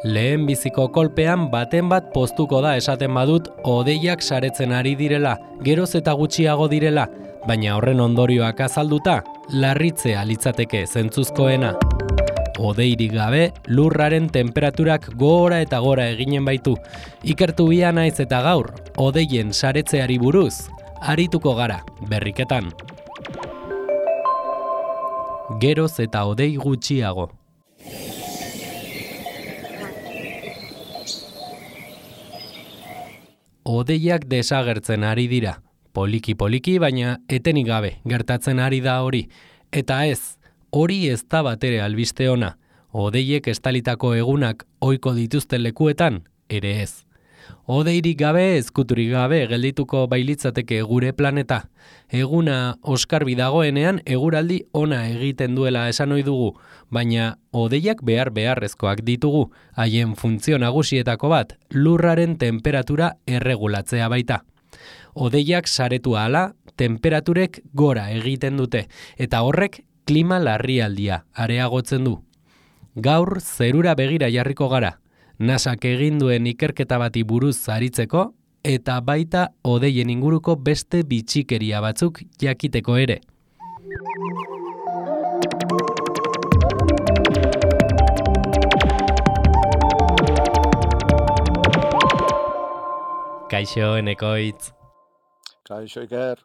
Lehen biziko kolpean baten bat poztuko da esaten badut hodeiak saretzen ari direla, geroz eta gutxiago direla, baina horren ondorioak azalduta, larritzea litzateke zentzuzkoena. Hodeirik gabe, lurraren temperaturak gora eta gora eginen baitu. Ikertu bia naiz eta gaur, hodeien saretzeari buruz, arituko gara, berriketan. Geroz eta hodei gutxiago. Hodeiak desagertzen ari dira. Poliki-poliki, baina etenik gabe gertatzen ari da hori. Eta ez, hori ez da batere albiste ona. Hodeiek estalitako egunak ohiko dituzten lekuetan, ere ez. Hodeirik gabe, ezkuturik gabe geldituko bailitzateke gure planeta. Eguna oskarbi dagoenean eguraldi ona egiten duela esan ohi dugu, baina hodeiak beharrezkoak ditugu, haien funtzio nagusietako bat, lurraren temperatura erregulatzea baita. Hodeiak saretu ahala, temperaturek gora egiten dute, eta horrek klima larrialdia areagotzen du. Gaur zerura begira jarriko gara, NASAk egin duen ikerketa bati buruz aritzeko, eta baita hodeien inguruko beste bitxikeria batzuk jakiteko ere. Kaixo, Enekoitz. Kaixo, Iker.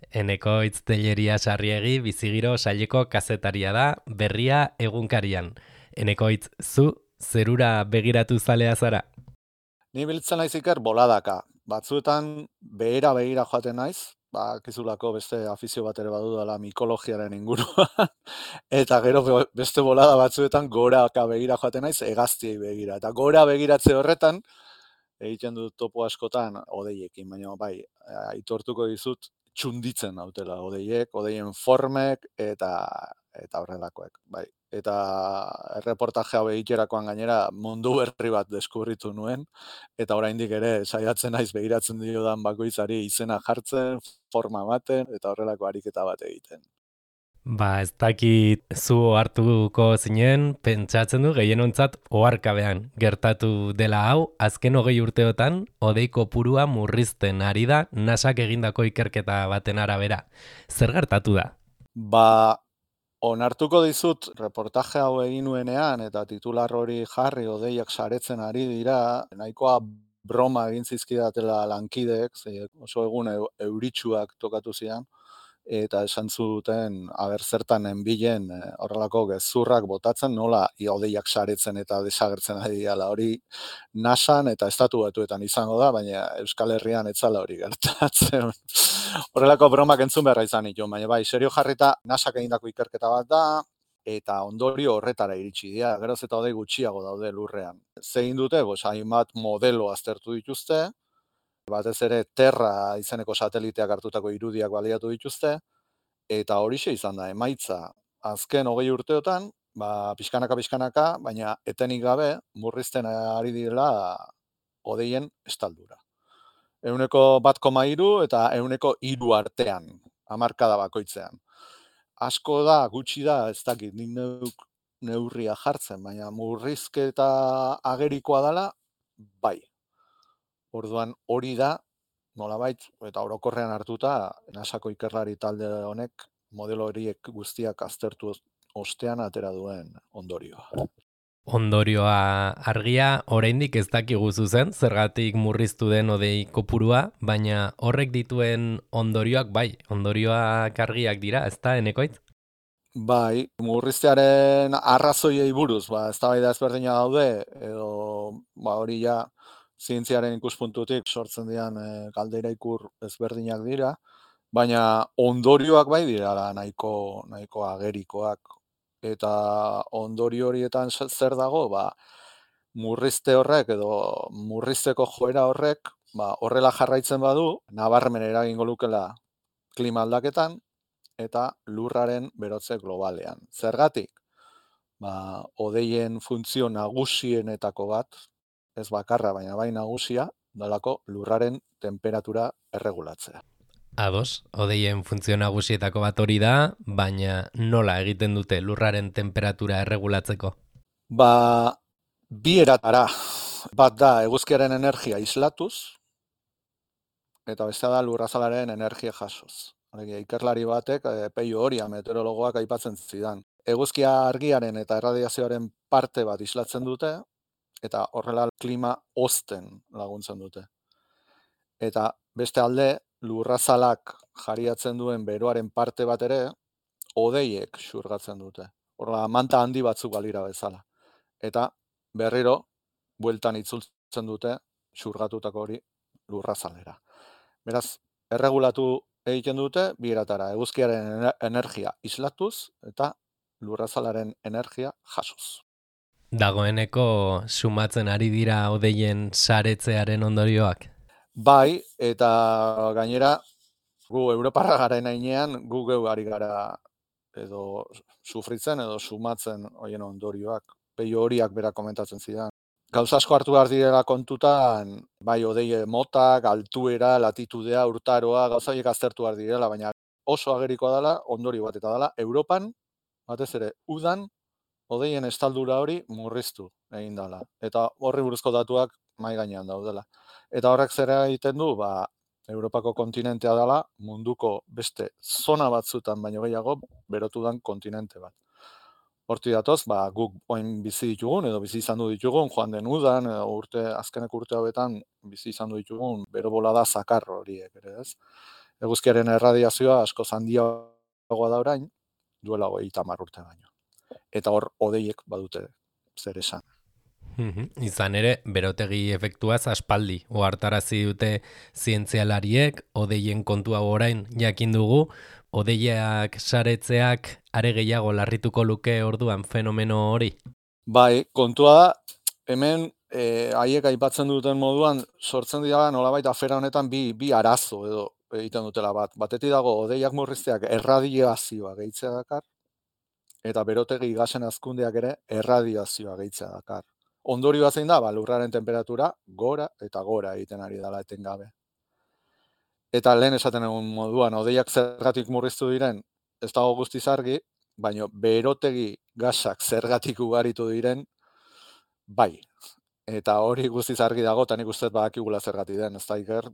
Enekoitz Telleria Sarriegi bizigiro saileko kazetaria da, Berria egunkarian. Enekoitz, zu zerura begiratu zalea zara? Ni biltzen naiz, Iker, boladaka. Batzuetan begira joaten naiz, kizulako beste afizio bat ere badudala mikologiaren inguruan, eta gero beste bolada batzuetan goraka begira joaten naiz, hegaztiei begira. Eta gora begiratze horretan, egiten dut topo askotan hodeiekin, baina bai, aitortuko dizut txunditzen nautela hodeiek, hodeien formek eta horrelakoek, bai. Eta erreportaje hau egiterakoan gainera mundu berri bat deskubritu nuen, eta oraindik ere saiatzen naiz begiratzen diodan bakoitzari izena jartzen, forma ematen, eta horrelako ariketa bat egiten. Ez dakit zu hartuko zinen, pentsatzen du gehienontzat oharkabean gertatu dela hau, azken 20 urteotan hodei kopurua murrizten ari da NASAk egindako ikerketa baten arabera. Zer gertatu da? Onartuko dizut reportaje hau egin nuenean eta titular hori jarri hodeiak saretzen ari dira, nahikoa broma egin zizkidatela lankideek, oso egun euritsuak tokatu zian, eta esan zuten zertan nenbilen horrelako gezurrak botatzen, nola hodeiak saretzen eta desagertzen ari dira. Hori NASAn eta Estatu Batuetan izango da, baina Euskal Herrian etzala hori gertatzen. Horrelako bromak entzun beharra izan ditu, baina bai, serio jarrita NASAk egindako ikerketa bat da, eta ondorio horretara iritsi dira, geroz eta hodei gutxiago daude lurrean. Zegin dute, hainbat modelo aztertu dituzte, batez ere Terra izeneko sateliteak hartutako irudiak baliatu dituzte, eta horixe izan da, emaitza azken 20 urteotan, pixkanaka, baina etenik gabe murrizten ari direla hodeien estaldura. 1,3 eta 1,3 artean, hamarkada bakoitzean. Asko da, gutxi da, ez dakit, nik neurria jartzen, baina murrizketa agerikoa dela, bai. Orduan hori da, nolabait, eta orokorrean hartuta, NASAko ikerlari talde honek modelo horiek guztiak aztertu ostean atera duen ondorioa. Ondorioa argia, oraindik ez dakigu zuzen, zergatik murriztu den hodei kopurua, baina horrek dituen ondorioak bai, ondorioak argiak dira, ez da, Enekoitz? Bai, murriztearen arrazoiei buruz, eztabaida ezberdina daude, edo hori ja zientziaren ikuspuntutik sortzen dian galdera ikur ezberdinak dira, baina ondorioak bai dira nahiko agerikoak. Eta ondorio horietan zer dago, murrizte horrek edo murrizteko joera horrek, horrela jarraitzen badu, nabarmen eragingo lukela klima aldaketan eta lurraren berotze globalean. Zergatik? Hodeien funtzio nagusienetako bat, ez bakarra, baina bai nagusia, dalako lurraren temperatura erregulatzea. Ados, hodeien funtzio nagusietako bat hori da, baina nola egiten dute lurraren temperatura erregulatzeko? Bi eratara, bat da eguzkiaren energia islatuz, eta bestea da lurrazalaren energia jasoz. Alegia, ikerlari batek, Peio Oria meteorologoak aipatzen zidan. Eguzkia argiaren eta erradiazioaren parte bat islatzen dute, eta horrela klima hozten laguntzen dute. Eta beste alde, lurrazalak jariatzen duen beroaren parte bat ere, hodeiek xurgatzen dute. Horrela, manta handi batzuk balira bezala. Eta berriro, bueltan itzultzen dute, xurgatutako hori lurrazalera. Beraz, erregulatu egiten dute, bi eratara, eguzkiaren energia islatuz eta lurrazalaren energia jasoz. Dagoeneko sumatzen ari dira hodeien saretzearen ondorioak? Bai, eta gainera, gu Europarra garen heinean, gu geu ari gara edo sufritzen edo sumatzen hoien ondorioak. Peio Horiak berak komentatzen zidan. Gauza asko hartu behar direla kontutan, bai hodei motak, altuera, latitudea, urtaroa, gauza horiek aztertu behar direla, baina oso agerikoa dela, ondorio bat eta dela, Europan, batez ere, udan, hodeien estaldura hori murriztu egin dela. Eta horri buruzko datuak mai gainean daudela. Eta horrek zera egiten du, Europako kontinentea dela, munduko beste zona batzutan baino gehiago berotu dan kontinente bat. Horti datoz, guk oin bizi ditugun, edo bizi izan du ditugun, joan den udan, edo azkenek urte hauetan bizi izan du ditugun, bero bolada zakar horiek, ere ez? Eguzkiaren erradiazioa asko handiagoa da orain, duela 30 urte baino. Eta hor, hodeiek badute zer esan. Izan ere, berotegi efektuaz aspaldi ohartarazi dute zientzialariek, hodeien kontua orain jakin dugu, hodeiak saretzeak are gehiago larrituko luke orduan fenomeno hori? Bai, kontua da, hemen haiek aipatzen duten moduan, sortzen dira nolabait afera honetan bi arazo edo egiten dutela bat. Batetik dago, hodeiak murrizteak erradiazioa gehitzea dakar, eta berotegi gasen hazkundeak ere erradiazioa gehitzea dakar. Ondorioa zein da, lurraren temperatura gora eta gora egiten ari dela etengabe. Eta lehen esaten egun moduan, hodeiak zergatik murriztu diren, ez dago guztiz argi, baina berotegi gasak zergatik ugaritu diren, bai. Eta hori guztiz argi dago, eta nik uste badakigula zergatik den, ez da iker,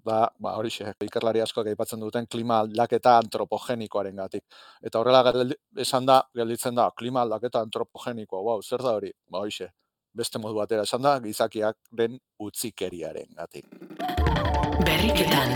horixe, ikerlari askoak aipatzen duten klima aldaketa antropogenikoaren gatik. Eta horrela esan da, gelditzen da, klima aldaketa antropogenikoa, wow, zer da hori? Horixe, beste modu batera esan da, gizakiak den utzikeriaren gatik. Berriketan.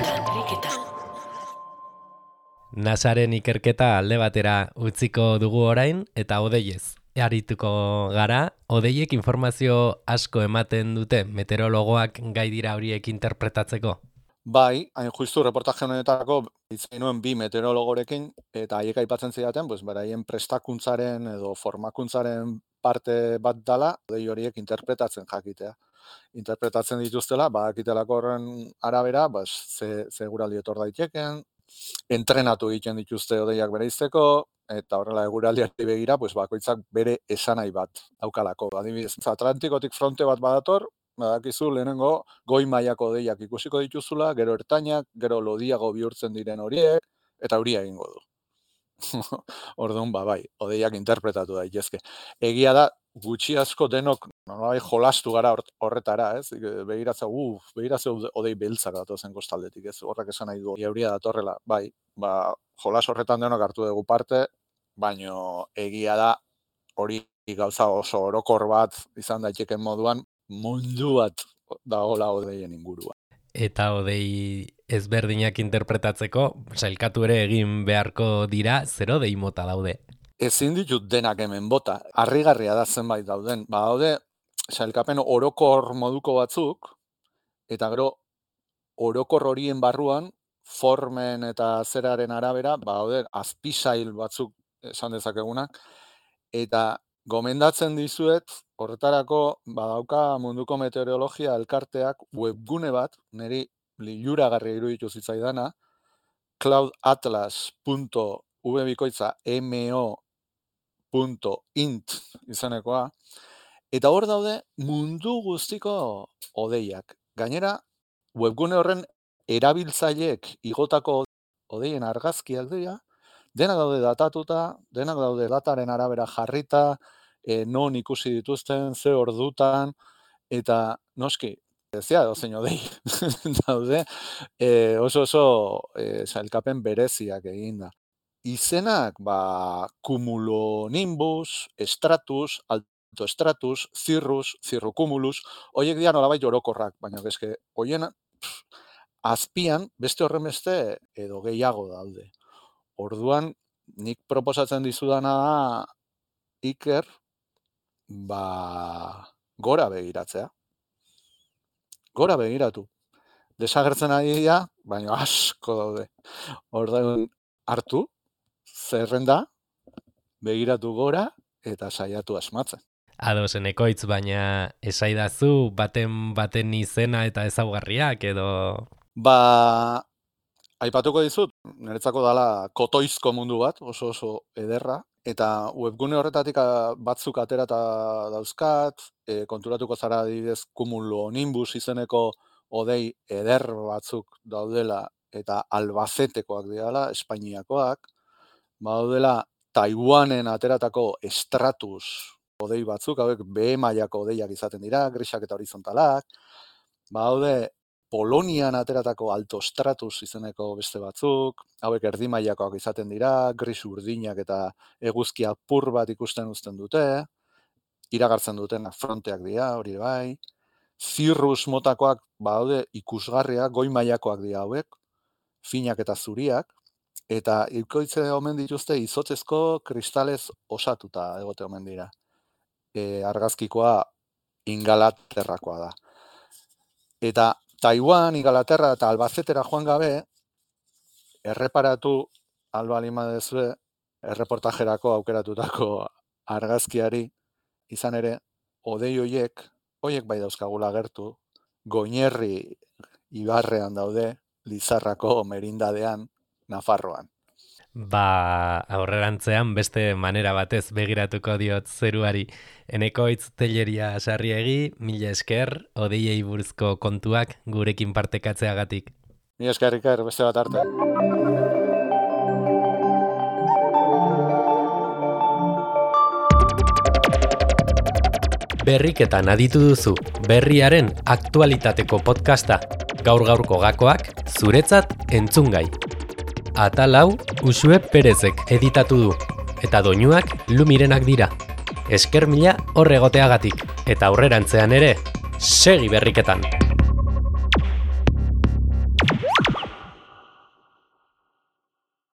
NASAren ikerketa alde batera utziko dugu orain, eta hodeiez arituko gara. Hodeiek informazio asko ematen dute meteorologoak gai dira horiek interpretatzeko? Bai, hain justu reportaje honetako hitzein nuen bi meteorologorekin, eta haiek aipatzen zidaten, beraien prestakuntzaren edo formakuntzaren parte bat dala, hodei horiek interpretatzen jakitea. Interpretatzen dituztela, bakitelako horren arabera, ze guraldi etor daiteken, entrenatu egiten dituzte hodeiak bereizteko, eta horrela eguraldiari begira, bakoitzak bere esanahi bat daukalako. Adibidez, Atlantikotik fronte bat badator, badakizu lehenengo goi mailako hodeiak ikusiko dituzula, gero ertainak, gero lodiago bihurtzen diren horiek, eta euria egingo du. Orduan, bai, hodeiak interpretatu daitezke. Egia da, gutxi asko denok jolastu gara horretara, ez? Begiratza hodei beltzak datozen kostaldetik, ez? Horrek esan nahi du, euria datorrela, bai, jolas horretan denok hartu dugu parte, baino egia da hori gauza oso orokor bat izan daiteken moduan, mundu bat dagoela hodeien ingurua. Eta hodei ezberdinak interpretatzeko, sailkatu ere egin beharko dira, zer hodei mota daude? Ezin ditut denak hemen bota, harrigarria da zenbait dauden. Daude, sailkapen orokor moduko batzuk, eta gero orokor horien barruan, formen eta zeraren arabera, daude, azpisail batzuk esan dezakegunak, eta gomendatzen dizuet, horretarako badauka munduko meteorologia elkarteak webgune bat, niri liluragarria iruditu zitzaidana, cloudatlas.mo.int izanekoa, eta hor daude mundu guztiko hodeiak. Gainera, webgune horren erabiltzaileek igotako hodeien argazki aldea, denak daude datatuta, denak daude dataren arabera jarrita, non ikusi dituzten, ze ordutan, eta noski, ezia dozein odei daude, oso sailkapen bereziak eginda. Izenak, cumulonimbus, stratus, altostratus, cirrus, cirrocumulus, horiek dira nolabait orokorrak, baina eske hoien azpian beste horrenbeste edo gehiago daude. Orduan, nik proposatzen dizudana da, Iker, gora begiratzea. Gora begiratu. Desagertzen ari dira, baina asko daude. Orduan, hartu, zerrenda, begiratu gora, eta saiatu asmatzen. Ados, Ekoitz, baina esaidazu baten izena eta ezaugarriak edo... Aipatuko dizut, niretzako dala kotoizko mundu bat, oso ederra, eta webgune horretatik batzuk aterata dauzkat, konturatuko zara adibidez cumulonimbus izeneko odei eder batzuk daudela, eta Albacetekoak direla, Espainiakoak, daudela Taiwanen ateratako stratus odei batzuk, hauek B mailako odeiak izaten dira, grisak eta horizontalak, daude Polonian ateratako altostratus izeneko beste batzuk, hauek erdi mailakoak izaten dira, gris urdinak eta eguzki apur bat ikusten uzten dute, iragartzen duten fronteak dira, hori bai, cirrus motakoak daude ikusgarriak, goi mailakoak dira hauek, finak eta zuriak, eta ikoitze omen dituzte izotzezko kristalez osatuta egote omen dira. Argazkikoa Ingalaterrakoa da. Eta Taiwan, Ingalaterra eta Albacetera joan gabe, erreparatu albalima dezue erreportajerako aukeratutako argazkiari, izan ere, odei hoiek bai dauzkagula gertu, Goñerri ibarrean daude, Lizarrako merindadean, Nafarroan. Aurrerantzean beste manera batez begiratuko diot zeruari. Enekoitz Telleria Sarriegi, mila esker, odeiei buruzko kontuak gurekin partekatzeagatik. Mila esker, Iker, beste bat arte. Berriketan aditu duzu, berriaren aktualitateko podcasta. Gaur-gaurko gakoak zuretzat entzungai. Atal hau Uxue Perezek editatu du, eta doinuak Lumirenak dira. Esker mila hor egoteagatik, eta aurrerantzean ere, segi berriketan!